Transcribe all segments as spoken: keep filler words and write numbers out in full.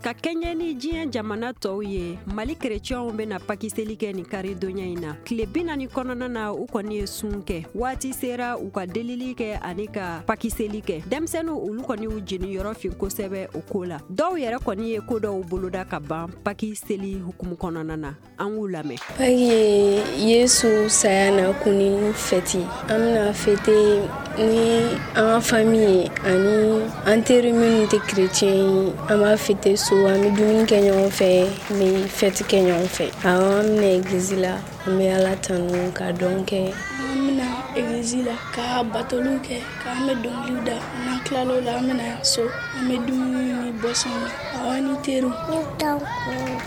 Ka kɛɲɛ ni diɲɛ jamana tɔw ye, Mali kerecɛnw bɛna pakiseli kɛ nin karidonya in na. Tile bi naani kɔnɔna na, u kɔni ye sun kɛ. Waati sera u ka delili kɛ ani ka pakiseli kɛ. Denmisɛnninw, olu kɔni y'u jeniyɔrɔ fin kosɛbɛ o ko la. Dɔw yɛrɛ kɔni ye ko dɔw boloda ka ban paki seli hukumu kɔnɔna na. An k'u lamɛn. Paki ye Yesu saya na kunni fɛti. An bɛna fêter ni an ka famille ye ani an teri minnu tɛ chrétien ye. An b'a fêter so, an bɛ dumuni kɛ ɲɔgɔn fɛ, an bɛ fête kɛ ɲɔgɔn fɛ. Awɔ, an bɛna église la, an bɛ Ala tanu ka dɔn kɛ. An bɛna église la ka batoliw kɛ, k'an bɛ dɔnkiliw da. N'an tilal'o la, an bɛna so, an bɛ dumuni ni boisson min, awɔ, ni teriw. Ne tɔgɔ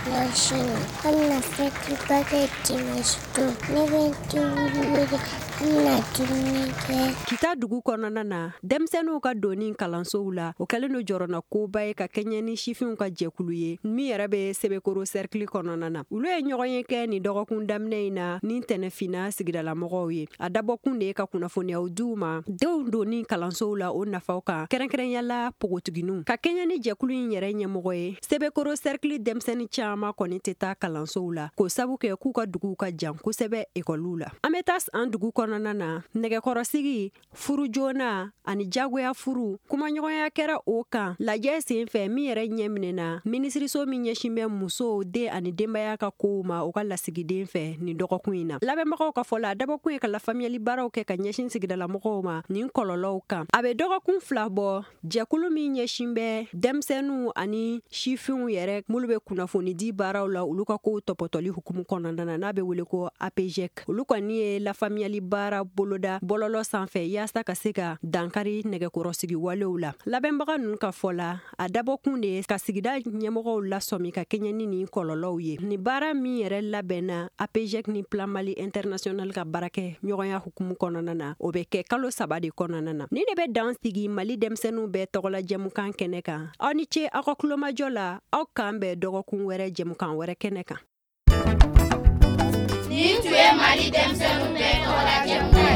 Blanchine. An bɛna fête ba kɛ dimanche don. Ne bɛ n teriw wele, an bɛna dumuni kɛ. Kita dugu kɔnɔna na, denmisɛnninw ka donni kalansow la, o kɛlen don jɔrɔna koba ye ka kɛɲɛ ni sifinw ka jɛkulu ye min yɛrɛ bɛ Sebekoro cercle kɔnɔna na. Olu ye ɲɔgɔn ye kɛ nin dɔgɔkun daminɛ in na ni tɛnɛfinna sigidalamɔgɔw ye. A dabɔkun de ye ka kunnafoniyaw di u ma denw donni kalansow la, o nafaw kan, kɛrɛnkɛrɛnyala pogotigininw. Ka kɛɲɛ ni jɛkulu in yɛrɛ ɲɛmɔgɔ ye, Sebekoro cercle denmisɛnnin caman kɔni tɛ taa kalansow la, k'o sabu kɛ k'u ka duguw ka jan kosɛbɛ ekɔliw la. An bɛ taa an dugu kɔnɔna na, nɛgɛkɔrɔsigi, furu joona ani jagoya furu, kumaɲɔgɔnya kɛra o kan lajɛ sen fɛ min yɛrɛ ɲɛ minɛna minisiriso min ɲɛsin bɛ musow, den ani denbaya ka kow ma, o ka lasigiden fɛ nin dɔgɔkun in na. Labɛnbagaw ka fɔ la, a dabɔkun ye ka lafaamuyali baaraw kɛ ka ɲɛsin sigidalamɔgɔw ma nin kɔlɔlɔw kan. A bɛ dɔgɔkun fila bɔ, jɛkulu min ɲɛsin bɛ denmisɛnninw ani sifinw yɛrɛ minnu bɛ kunnafoni di baaraw la, olu ka kow tɔpɔtɔli hukumu kɔnɔna na, n'a bɛ wele ko A P G E C, olu kɔni ye lafaamuyali baara boloda bɔlɔlɔ sanfɛ yaasa ka se ka dankari nɛgɛkɔrɔsigi walew la. Labɛnbaga ninnu ka fɔ la, a dabɔkun de ye ka sigida ɲɛmɔgɔw lasɔmi ka kɛɲɛ ni nin kɔlɔlɔw ye. Nin baara min yɛrɛ labɛnna A P G E C ni Plan Mali International ka baarakɛ ɲɔgɔnya hukumu kɔnɔna na, o bɛ kɛ kalo saba de kɔnɔna na. Ni de bɛ dan sigi Mali denmisɛnninw bɛɛ tɔgɔla jɛmukan kɛnɛ kan. Aw ni ce aw ka kulomajɔ la. Aw k'an bɛn dɔgɔkun wɛrɛ jɛmukan wɛrɛ kɛnɛ kan. Nin tun ye Mali denmisɛnninw bɛɛ tɔgɔla jɛmukan.